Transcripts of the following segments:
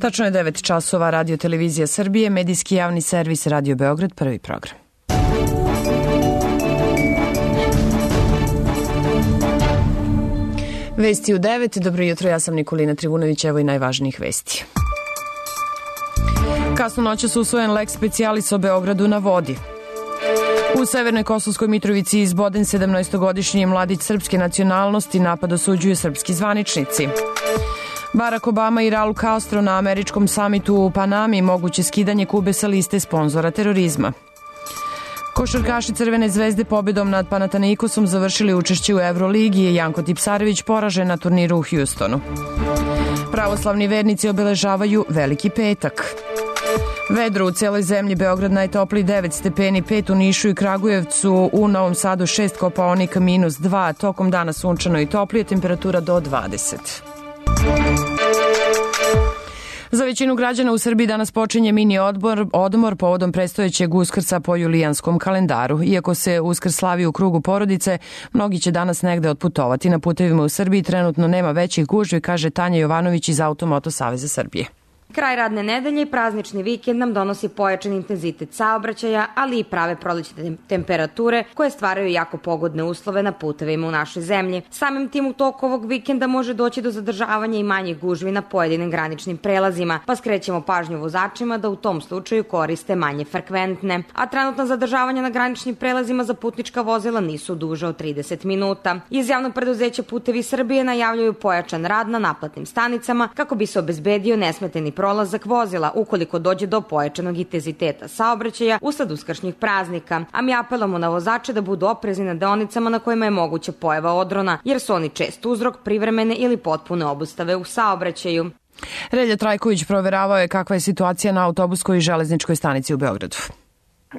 Tačno je 9 časova, Radio Televizija Srbije, medijski javni servis Radio Beograd, prvi program. Vesti u 9. Dobro jutro, ja sam Nikolina Trivunović, evo i najvažnijih vesti. Kasno noćas usvojen leks specialis o Beogradu na vodi. U Severnoj Kosovskoj Mitrovici izboden 17-godišnji mladić srpske nacionalnosti, napad osuđuju srpski zvaničnici. Barack Obama i Raul Castro na američkom samitu u Panami, moguće skidanje Kube sa liste sponzora terorizma. Košarkaši Crvene zvezde pobjedom nad Panathinaikosom završili učešće u Euroligi i Janko Tipsarević poražen na turniru u Houstonu. Pravoslavni vernici obeležavaju Veliki petak. Vedro u celoj zemlji, Beograd najtopliji 9 stepeni, 5 u Nišu i Kragujevcu, u Novom Sadu 6, Kopaonik -2, tokom dana sunčano i toplije, temperatura do 20. Za većinu građana u Srbiji danas počinje mini odmor povodom predstojećeg Uskrsa po julijanskom kalendaru. Iako se Uskrs slavi u krugu porodice, mnogi će danas negde otputovati. Na putevima u Srbiji trenutno nema većih gužvi, kaže Tanja Jovanović iz Automoto Saveza Srbije. Kraj radne nedelje i praznični vikend nam donosi pojačan intenzitet saobraćaja, ali i prave prolećne temperature koje stvaraju jako pogodne uslove na putevima u našoj zemlji. Samim tim u toku ovog vikenda može doći do zadržavanja i manjih gužvi na pojedinim graničnim prelazima, pa skrećemo pažnju vozačima da u tom slučaju koriste manje frekventne. A trenutna zadržavanja na graničnim prelazima za putnička vozila nisu duže od 30 minuta. Iz javnog preduzeća Putevi Srbije najavljuju pojačan rad na naplatnim stanicama kako bi se obezbedio nesmeteni prolazak vozila ukoliko dođe do pojačanog intenziteta saobraćaja usled uskršnjih praznika. A mi apelamo na vozače da budu oprezni na deonicama na kojima je moguća pojava odrona, jer su oni čest uzrok privremene ili potpune obustave u saobraćaju. Relja Trajković proveravao je kakva je situacija na autobuskoj i železničkoj stanici u Beogradu.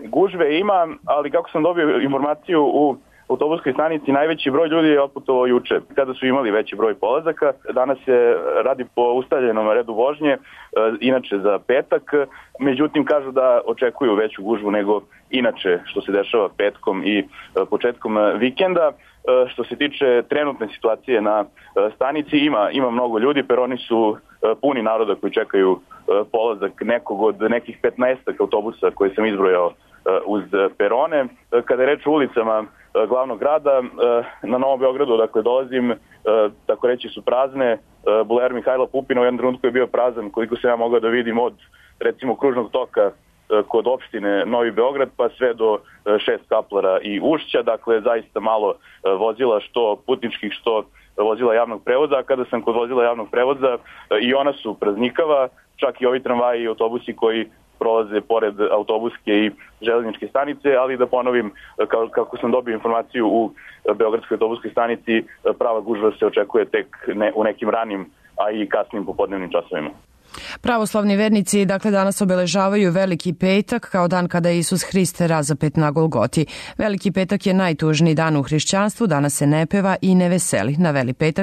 Gužve ima, ali kako sam dobio informaciju u autobuskoj stanici, najveći broj ljudi je otputovao juče, kada su imali veći broj polazaka. Danas se radi po ustaljenom redu vožnje, inače za petak. Međutim, kažu da očekuju veću gužvu nego inače što se dešava petkom i početkom vikenda. Što se tiče trenutne situacije na stanici, ima mnogo ljudi, peroni su puni naroda koji čekaju polazak nekog od nekih 15 autobusa koje sam izbrojao uz perone. Kada je reč o ulicama glavnog grada, na Novom Beogradu, dakle, dolazim, tako reći su prazne. Bulevar Mihajla Pupina u jednom trenutku je bio prazan, koliko se ja mogao da vidim od, recimo, kružnog toka kod opštine Novi Beograd, pa sve do 6 Kaplara i Ušća, dakle, zaista malo vozila, što putničkih, što vozila javnog prevoza. A kada sam kod vozila javnog prevoza, i ona su praznikava, čak i ovi tramvaji i autobusi koji prolaze pored autobuske i železničke stanice, ali da ponovim, kako sam dobio informaciju u Beogradskoj autobuskoj stanici, prava gužva se očekuje tek u nekim ranim, a i kasnim popodnevnim časovima. Pravoslavni vernici, dakle, danas obeležavaju Veliki petak kao dan kada je Isus Hrist razapet na Golgoti. Veliki petak je najtužniji dan u hrišćanstvu, danas se ne peva i ne veseli.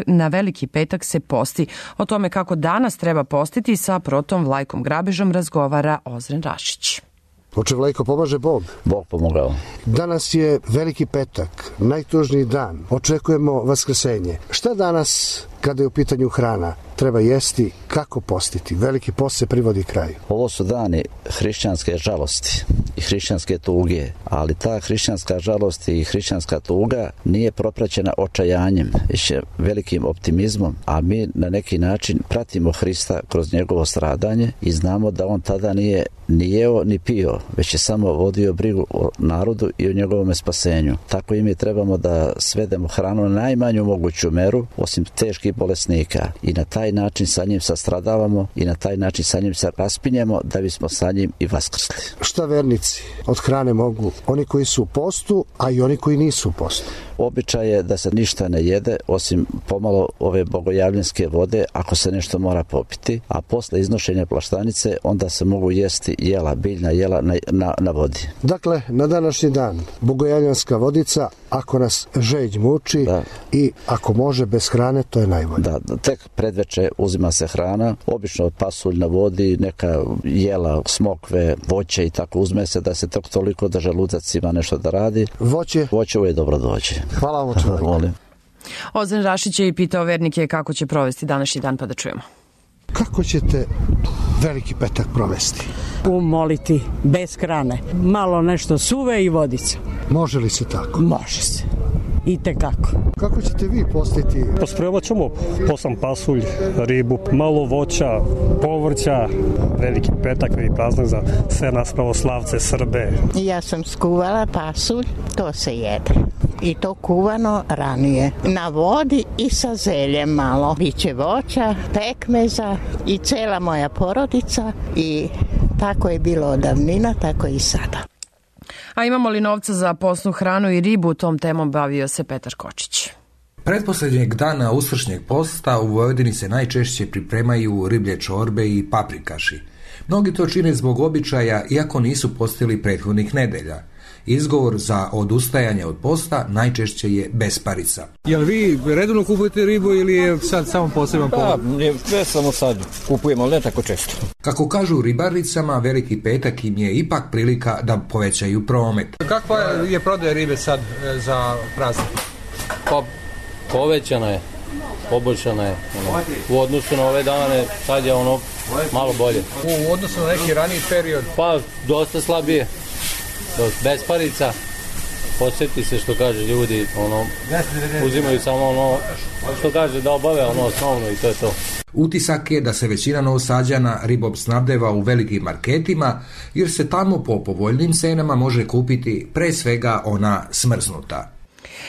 Na Veliki petak se posti. O tome kako danas treba postiti sa protom Vlajkom Grabežom razgovara Ozren Rašić. Oče Vlajko, pomaže Bog? Bog pomogao. Danas je Veliki petak, najtužniji dan. Očekujemo vaskrsenje. Šta danas, kada je u pitanju hrana, treba jesti, kako postiti? Veliki post se privodi kraju. Ovo su dani hrišćanske žalosti i hrišćanske tuge, ali ta hrišćanska žalost i hrišćanska tuga nije propraćena očajanjem, već velikim optimizmom, a mi na neki način pratimo Hrista kroz njegovo stradanje i znamo da on tada nije ni jeo ni pio, već je samo vodio brigu o narodu i o njegovom spasenju. Tako i mi trebamo da svedemo hranu na najmanju moguću meru, osim teških bolesnika, i na taj način sa njim sastradavamo i na taj način sa njim se raspinjemo da bismo sa njim i vaskrsli. Šta vernici od hrane mogu? Oni koji su u postu, a i oni koji nisu u postu. Običaj je da se ništa ne jede osim pomalo ove bogojavljanske vode ako se nešto mora popiti, a posle iznošenja plaštanice onda se mogu jesti jela, biljna jela na vodi. Dakle, na današnji dan bogojavljanska vodica ako nas žeđ muči, da, i ako može bez hrane, to je najbolje. Da, tek predveče uzima se hrana, obično pasulj na vodi, neka jela, smokve, voće i tako uzme se da se toliko da želudac ima nešto da radi. Voće uvijek dobro dođe. Hvala vam, čovjek. Ozren Rašić je i pitao vernike kako će provesti današnji dan, pa da čujemo. Kako ćete Veliki petak provesti? Umoliti bez hrane. Malo nešto suve i vodica. Može li se tako? Može se. I tekako. Kako ćete vi postiti? Pa spremat ćemo posam pasulj, ribu, malo voća, povrća, veliki petak i praznik za sve nas pravoslavce, Srbe. Ja sam skuvala pasulj, to se jede. I to kuvano ranije. Na vodi i sa zeljem malo. Biće voća, pekmeza i cela moja porodica i tako je bilo od davnina, tako i sada. A imamo li novca za posnu hranu i ribu? Tom temom bavio se Petar Kočić. Pretposlednjeg dana uskršnjeg posta u Vojvodini se najčešće pripremaju riblje čorbe i paprikaši. Mnogi to čine zbog običaja, iako nisu postili prethodnih nedelja. Izgovor za odustajanje od posta najčešće je besparica. Jel vi redovno kupujete ribu ili je sad samo poseban povod? Ne samo sad kupujemo, ali ne tako često. Kako kažu ribaricama, Veliki petak im je ipak prilika da povećaju promet. Kakva je prodaja ribe sad za praznik? Pa povećana je, poboljšana je. U odnosu na ove dane sad je malo bolje. U odnosu na neki raniji period? Pa dosta slabije. Besparica, posjeti se što kaže ljudi, uzimaju samo što kaže da obave osnovno i to je to. Utisak je da se većina Novosađana ribom snabdeva u velikim marketima, jer se tamo po povoljnim cenama može kupiti pre svega ona smrznuta.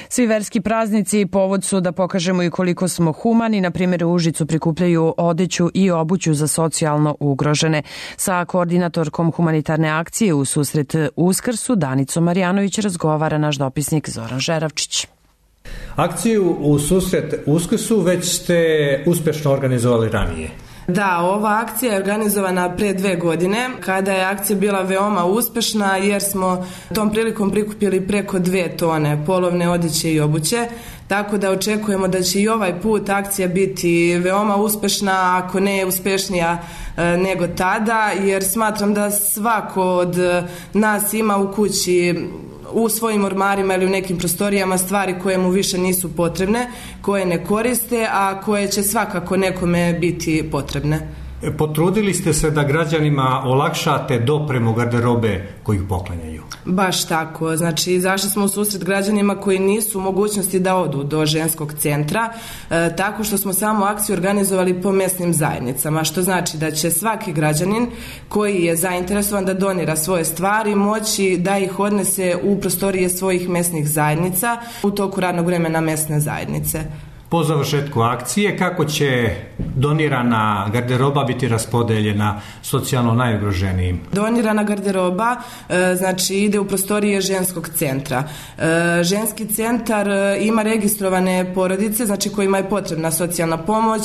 Svi verski praznici povod su da pokažemo i koliko smo humani. Na primjer, u Užicu prikupljaju odeću i obuću za socijalno ugrožene. Sa koordinatorkom humanitarne akcije u susret Uskrsu, Danicom Marjanović, razgovara naš dopisnik Zoran Žeravčić. Akciju u susret Uskrsu već ste uspješno organizovali ranije. Da, ova akcija je organizovana pre 2 godine, kada je akcija bila veoma uspešna jer smo tom prilikom prikupili preko 2 tone polovne odeće i obuće, tako da očekujemo da će i ovaj put akcija biti veoma uspešna, ako ne uspešnija nego tada, jer smatram da svako od nas ima u kući, u svojim ormarima ili u nekim prostorijama stvari koje mu više nisu potrebne, koje ne koriste, a koje će svakako nekome biti potrebne. Potrudili ste se da građanima olakšate dopremu garderobe koju poklanjaju? Baš tako, znači izašli smo u susret građanima koji nisu u mogućnosti da odu do ženskog centra, tako što smo samo akciju organizovali po mesnim zajednicama, što znači da će svaki građanin koji je zainteresovan da donira svoje stvari moći da ih odnese u prostorije svojih mesnih zajednica u toku radnog vremena mesne zajednice. Po završetku akcije, kako će donirana garderoba biti raspodeljena socijalno najugroženijim? Donirana garderoba znači ide u prostorije ženskog centra. Ženski centar ima registrovane porodice, znači kojima je potrebna socijalna pomoć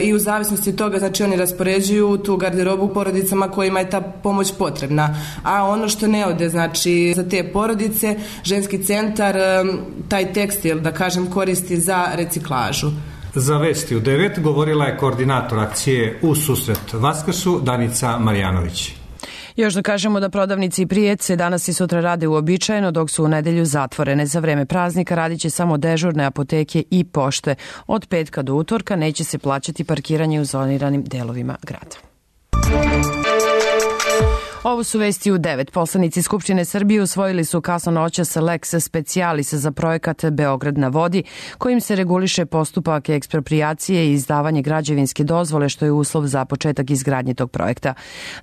i u zavisnosti od toga znači oni raspoređuju tu garderobu porodicama kojima je ta pomoć potrebna. A ono što ne ode znači za te porodice, ženski centar taj tekstil da kažem koristi za reciklažu. Za Vesti u 9 govorila je koordinator akcije u susret Vaskrsu Danica Marjanović. Još da kažemo da prodavnici i prijece danas i sutra rade uobičajeno, dok su u nedelju zatvorene. Za vreme praznika radit će samo dežurne apoteke i pošte. Od petka do utorka neće se plaćati parkiranje u zoniranim delovima grada. Ovo su Vesti u 9. Poslanici Skupštine Srbije usvojili su kasnonoćas lex specialis za projekat Beograd na vodi, kojim se reguliše postupak eksproprijacije i izdavanje građevinske dozvole, što je uslov za početak izgradnje tog projekta.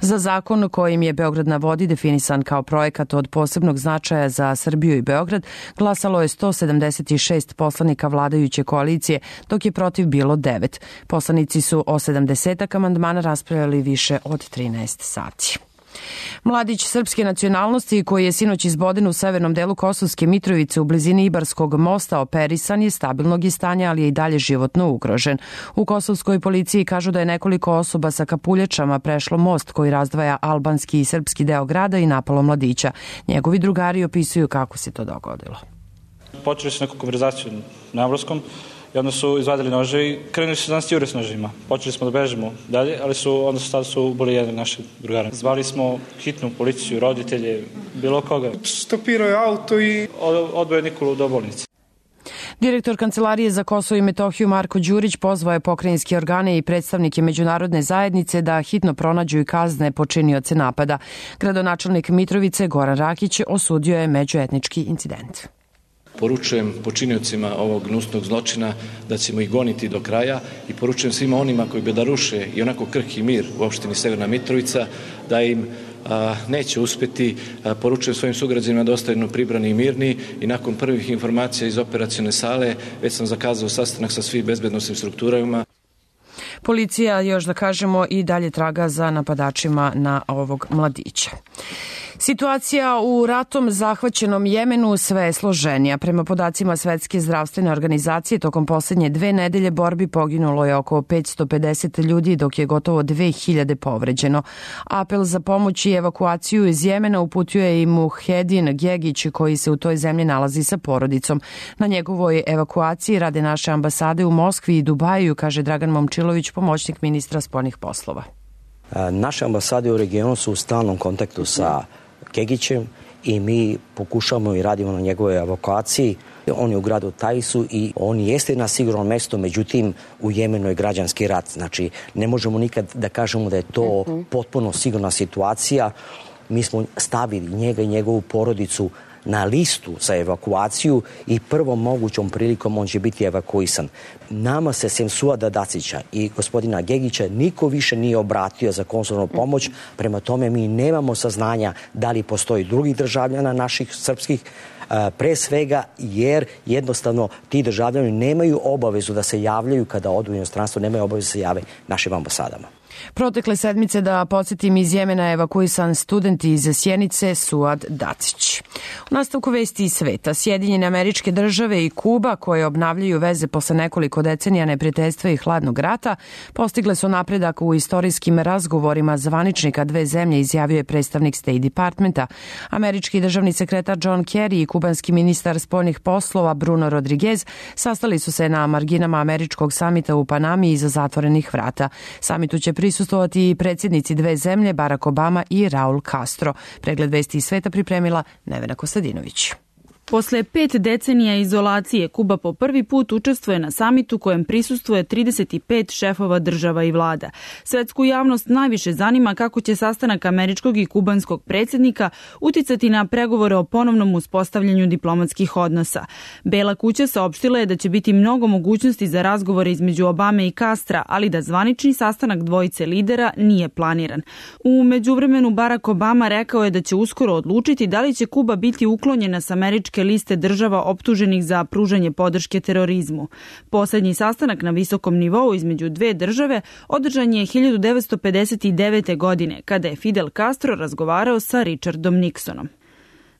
Za zakon kojim je Beograd na vodi definisan kao projekat od posebnog značaja za Srbiju i Beograd, glasalo je 176 poslanika vladajuće koalicije, dok je protiv bilo 9. Poslanici su o 70 amandmana raspravljali više od 13 sati. Mladić srpske nacionalnosti koji je sinoć izboden u severnom delu Kosovske Mitrovice u blizini Ibarskog mosta operisan je stabilnog stanja, ali je i dalje životno ugrožen. U kosovskoj policiji kažu da je nekoliko osoba sa kapuljačama prešlo most koji razdvaja albanski i srpski deo grada i napalo mladića. Njegovi drugari opisuju kako se to dogodilo. Počeli su neku konverzaciju na engleskom i onda su izvadili nože i krenuli su nas jure s nožima. Počeli smo da bežimo dalje, ali onda su ubili jednog našeg drugara. Zvali smo hitnu policiju, roditelje, bilo koga. Stopirao je auto i odveo Nikolu do bolnice. Direktor Kancelarije za Kosovo i Metohiju Marko Đurić pozvao je pokrajinske organe i predstavnike međunarodne zajednice da hitno pronađu i kazne počinioce napada. Gradonačelnik Mitrovice Goran Rakić osudio je međuetnički incident. Poručujem počiniocima ovog gnusnog zločina da ćemo ih goniti do kraja i poručujem svima onima koji bi da ruše i onako krhki mir u opštini Severna Mitrovica da im neće uspeti. Poručujem svojim sugrađanima da ostanu pribrani i mirni i nakon prvih informacija iz operacione sale već sam zakazao sastanak sa svim bezbednosnim strukturama. Policija, još da kažemo, i dalje traga za napadačima na ovog mladića. Situacija u ratom zahvaćenom Jemenu sve je složenija. Prema podacima Svetske zdravstvene organizacije, tokom posljednje 2 nedelje borbi poginulo je oko 550 ljudi, dok je gotovo 2000 povređeno. Apel za pomoć i evakuaciju iz Jemena uputio je i Muhedin Gegić, koji se u toj zemlji nalazi sa porodicom. Na njegovoj evakuaciji rade naše ambasade u Moskvi i Dubaju, kaže Dragan Momčilović, pomoćnik ministra spoljnih poslova. Naše ambasade u regionu su u stalnom kontaktu sa Gegićem i mi pokušamo i radimo na njegovoj evakuaciji. On je u gradu Taisu i on jeste na sigurnom mjestu, međutim u Jemenu je građanski rat. Znači ne možemo nikad da kažemo da je to potpuno sigurna situacija. Mi smo stavili njega i njegovu porodicu na listu za evakuaciju i prvom mogućom prilikom on će biti evakuisan. Nama se sem Suada Dacića i gospodina Gegića niko više nije obratio za konzularnu pomoć, prema tome mi nemamo saznanja da li postoji drugih državljana naših srpskih, pre svega jer jednostavno ti državljani nemaju obavezu da se javljaju kada odu u inostranstvo, nemaju obavezu da se jave našim ambasadama. Protekle sedmice, da podsjetim, iz Jemena evakuisan student iz Sjenice Suad Dacić. U nastavku vesti iz sveta, Sjedinjene Američke Države i Kuba, koje obnavljaju veze posle nekoliko decenija neprijateljstva i hladnog rata, postigle su napredak u istorijskim razgovorima zvaničnika dve zemlje, izjavio je predstavnik State Departmenta. Američki državni sekretar John Kerry i kubanski ministar spoljnih poslova Bruno Rodriguez sastali su se na marginama američkog samita u Panami iza zatvorenih vrata. Samitu će prisustvovati i predsjednici dve zemlje, Barack Obama i Raul Castro. Pregled vesti iz sveta pripremila Nevena Kostadinović. Posle 5 decenija izolacije, Kuba po prvi put učestvuje na samitu kojem prisustvuje 35 šefova država i vlada. Svetsku javnost najviše zanima kako će sastanak američkog i kubanskog predsjednika uticati na pregovore o ponovnom uspostavljanju diplomatskih odnosa. Bela kuća saopštila je da će biti mnogo mogućnosti za razgovore između Obame i Castra, ali da zvanični sastanak dvojice lidera nije planiran. U međuvremenu Barack Obama rekao je da će uskoro odlučiti da li će Kuba biti uklonjena s američke liste država optuženih za pružanje podrške terorizmu. Poslednji sastanak na visokom nivou između dve države održan je 1959. godine, kada je Fidel Castro razgovarao sa Richardom Nixonom.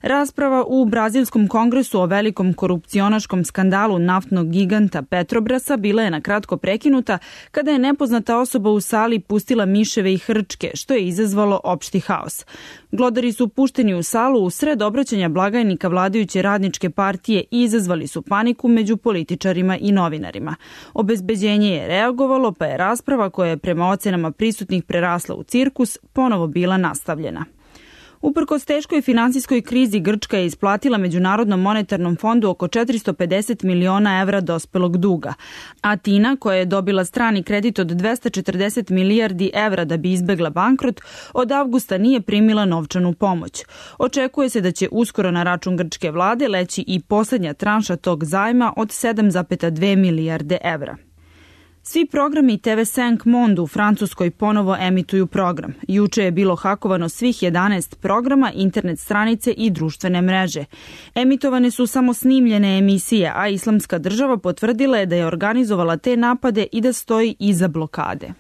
Rasprava u Brazilskom kongresu o velikom korupcionaškom skandalu naftnog giganta Petrobrasa bila je na kratko prekinuta kada je nepoznata osoba u sali pustila miševe i hrčke, što je izazvalo opšti haos. Glodari su pušteni u salu u sred obraćanja blagajnika vladajuće radničke partije i izazvali su paniku među političarima i novinarima. Obezbeđenje je reagovalo, pa je rasprava, koja je prema ocenama prisutnih prerasla u cirkus, ponovo bila nastavljena. Uprkos teškoj finansijskoj krizi, Grčka je isplatila Međunarodnom monetarnom fondu oko 450 miliona evra dospelog duga. Atina, koja je dobila strani kredit od 240 milijardi evra da bi izbegla bankrot, od avgusta nije primila novčanu pomoć. Očekuje se da će uskoro na račun grčke vlade leći i poslednja tranša tog zajma od 7,2 milijarde evra. Svi programi TV5 Monde u Francuskoj ponovo emituju program. Juče je bilo hakovano svih 11 programa, internet stranice i društvene mreže. Emitovane su samo snimljene emisije, a Islamska država potvrdila je da je organizovala te napade i da stoji iza blokade.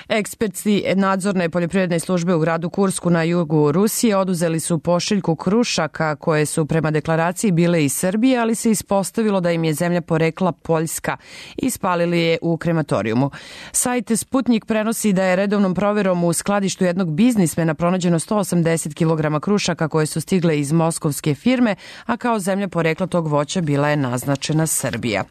Eksperti nadzorne poljoprivredne službe u gradu Kursku na jugu Rusije oduzeli su pošiljku krušaka koje su prema deklaraciji bile iz Srbije, ali se ispostavilo da im je zemlja porekla Poljska i spalili je u krematorijumu. Sajt Sputnik prenosi da je redovnom proverom u skladištu jednog biznismena pronađeno 180 kg krušaka koje su stigle iz moskovske firme, a kao zemlja porekla tog voća bila je naznačena Srbija.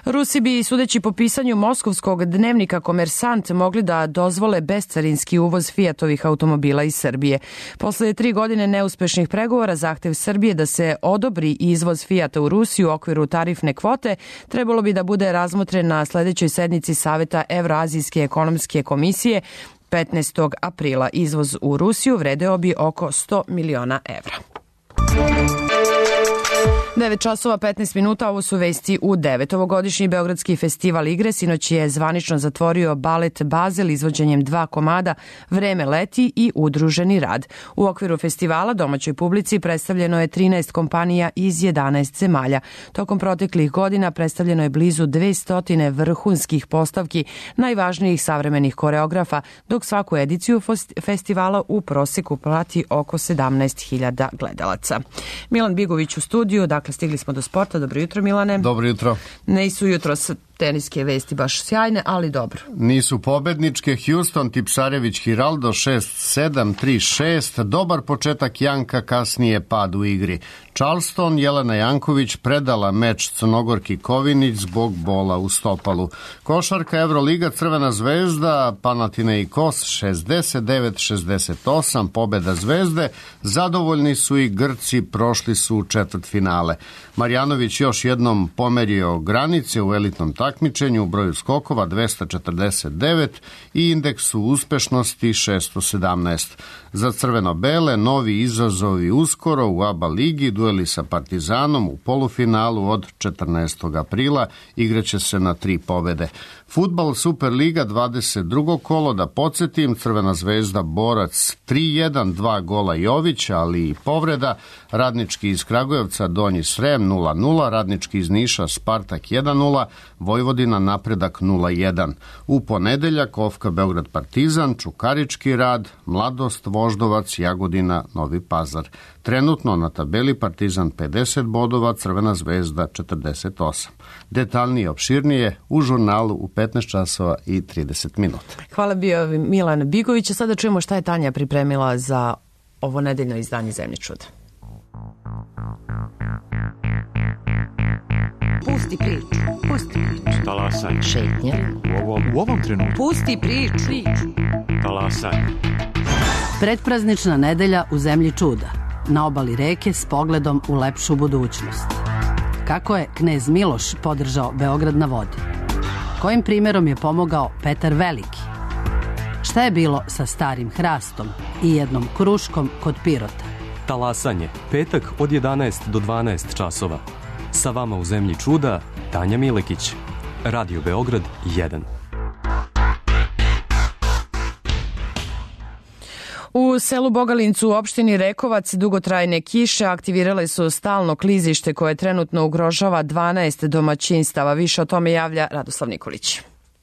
Rusi bi, sudeći po pisanju moskovskog dnevnika Komersant, mogli mogli da dozvole bescarinski uvoz Fiatovih automobila iz Srbije. Posle 3 godine neuspešnih pregovora, zahtev Srbije da se odobri izvoz Fiata u Rusiju u okviru tarifne kvote trebalo bi da bude razmotren na sledećoj sednici Saveta Evroazijske ekonomske komisije 15. aprila. Izvoz u Rusiju vredeo bi oko 100 miliona evra. 9 časova 15 minuta, ovo su vesti u 9. Ovogodišnji Beogradski festival igre sinoć je zvanično zatvorio balet Bazel izvođenjem 2 komada Vreme leti i Udruženi rad. U okviru festivala domaćoj publici predstavljeno je 13 kompanija iz 11 zemalja. Tokom proteklih godina predstavljeno je blizu 200 vrhunskih postavki najvažnijih savremenih koreografa, dok svaku ediciju festivala u proseku prati oko 17.000 gledalaca. Milan Bigović u studiju, dakle stigli smo do sporta. Dobro jutro, Milane. Dobro jutro. Nisu jutros teniske vesti baš sjajne, ali dobro. Nisu pobedničke. Houston, Tipsarević, Hiraldo 6-7, 3-6. Dobar početak Janka, kasnije pad u igri. Charleston, Jelena Janković predala meč Crnogorki Kovinić zbog bola u stopalu. Košarka Evroliga, Crvena zvezda, Panathinaikos 69-68, pobeda Zvezde. Zadovoljni su i Grci, prošli su u četvrtfinale. Marjanović još jednom pomerio granice u elitnom takmičenju u broju skokova 249 i indeksu uspešnosti 617. Za crveno-bele novi izazovi uskoro u ABA ligi, dueli sa Partizanom u polufinalu od 14. aprila, igraće se na 3 pobede. Fudbal Superliga 22. kolo, da podsjetim, Crvena zvezda Borac 3-1, 2 gola Jović, ali i povreda. Radnički iz Kragujevca Donji Srem 0-0, Radnički iz Niša Spartak 1-0, Vojvodina Napredak 0-1. U ponedeljak Ofka Beograd Partizan, Čukarički Rad, Mladost Voždovac, Jagodina Novi Pazar. Trenutno na tabeli Partizan 50 bodova, Crvena zvezda 48. Detaljnije opširnije u žurnalu u 15 časova i 30 minuta. Hvala bio Milan Bigović. Sada čujemo šta je Tanja pripremila za ovo nedeljno izdanje Zemlje čuda. Pusti priču. Talasaj. Šetnja. U ovom trenutku. Pusti priču. Talasaj. Predpraznična nedelja u Zemlji čuda. Na obali reke s pogledom u lepšu budućnost. Kako je knez Miloš podržao Beograd na vodi? Kojim primjerom je pomogao Petar Veliki? Šta je bilo sa starim hrastom i jednom kruškom kod Pirota? Talasanje, petak od 11 do 12 časova. Sa vama u Zemlji čuda, Tanja Milekić. Radio Beograd 1. U selu Bogalincu u opštini Rekovac dugotrajne kiše aktivirale su stalno klizište koje trenutno ugrožava 12 domaćinstava. Više o tome javlja Radoslav Nikolić.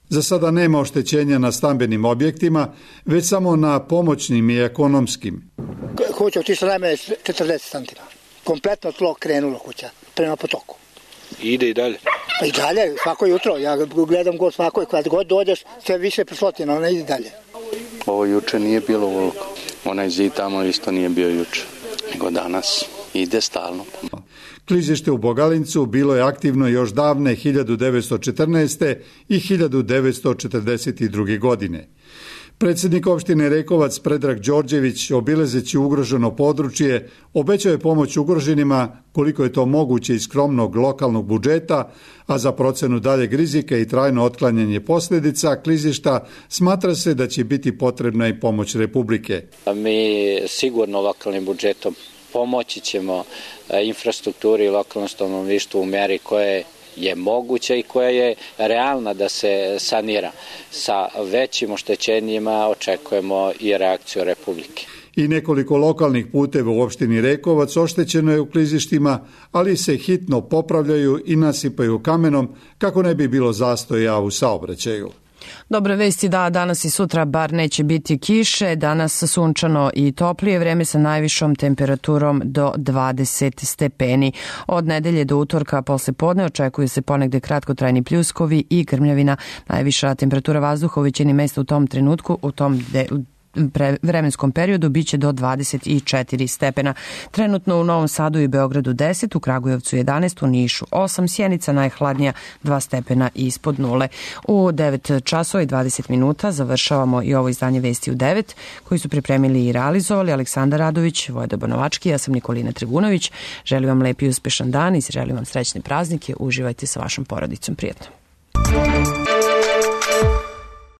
Za sada nema oštećenja na stambenim objektima, već samo na pomoćnim i ekonomskim. Kuća otišla najmanje 40 cm. Kompletno tlo krenulo kuća prema potoku. Ide i dalje? Pa i dalje, svako jutro. Ja gledam god svako, kad god dođeš, sve više preslotina, ona ide dalje. Ovo juče nije bilo ovoliko. Onaj zid tamo isto nije bio juče, nego danas ide stalno. Klizište u Bogalincu bilo je aktivno još davne 1914. i 1942. godine. Predsjednik opštine Rekovac Predrag Đorđević, obilazeći ugroženo područje, obećao je pomoć ugroženima koliko je to moguće iz skromnog lokalnog budžeta, a za procenu daljeg rizika i trajno otklanjanje posljedica klizišta smatra se da će biti potrebna i pomoć Republike. Mi sigurno lokalnim budžetom pomoći ćemo infrastrukturi i lokalnom stanovništvu u meri koje je moguća i koja je realna da se sanira. Sa većim oštećenjima očekujemo i reakciju Republike. I nekoliko lokalnih puteva u opštini Rekovac oštećeno je u klizištima, ali se hitno popravljaju i nasipaju kamenom kako ne bi bilo zastoja u saobraćaju. Dobre vesti da danas i sutra bar neće biti kiše, danas sunčano i toplije vreme sa najvišom temperaturom do 20 stepeni. Od nedelje do utorka posle podne očekuju se ponegde kratkotrajni pljuskovi i grmljavina. Najviša temperatura vazduha u većini mesta u tom trenutku, u tom vremenskom periodu biće do 24 stepena. Trenutno u Novom Sadu i Beogradu 10, u Kragujevcu 11, u Nišu 8, Sjenica najhladnija 2 stepena ispod nule. U 9 časova i 20 minuta završavamo i ovo izdanje Vesti u 9, koji su pripremili i realizovali Aleksandar Radović, Vojda Bonovački, ja sam Nikolina Trigunović. Želim vam lep i uspešan dan i želim vam srećne praznike. Uživajte sa vašom porodicom. Prijetno.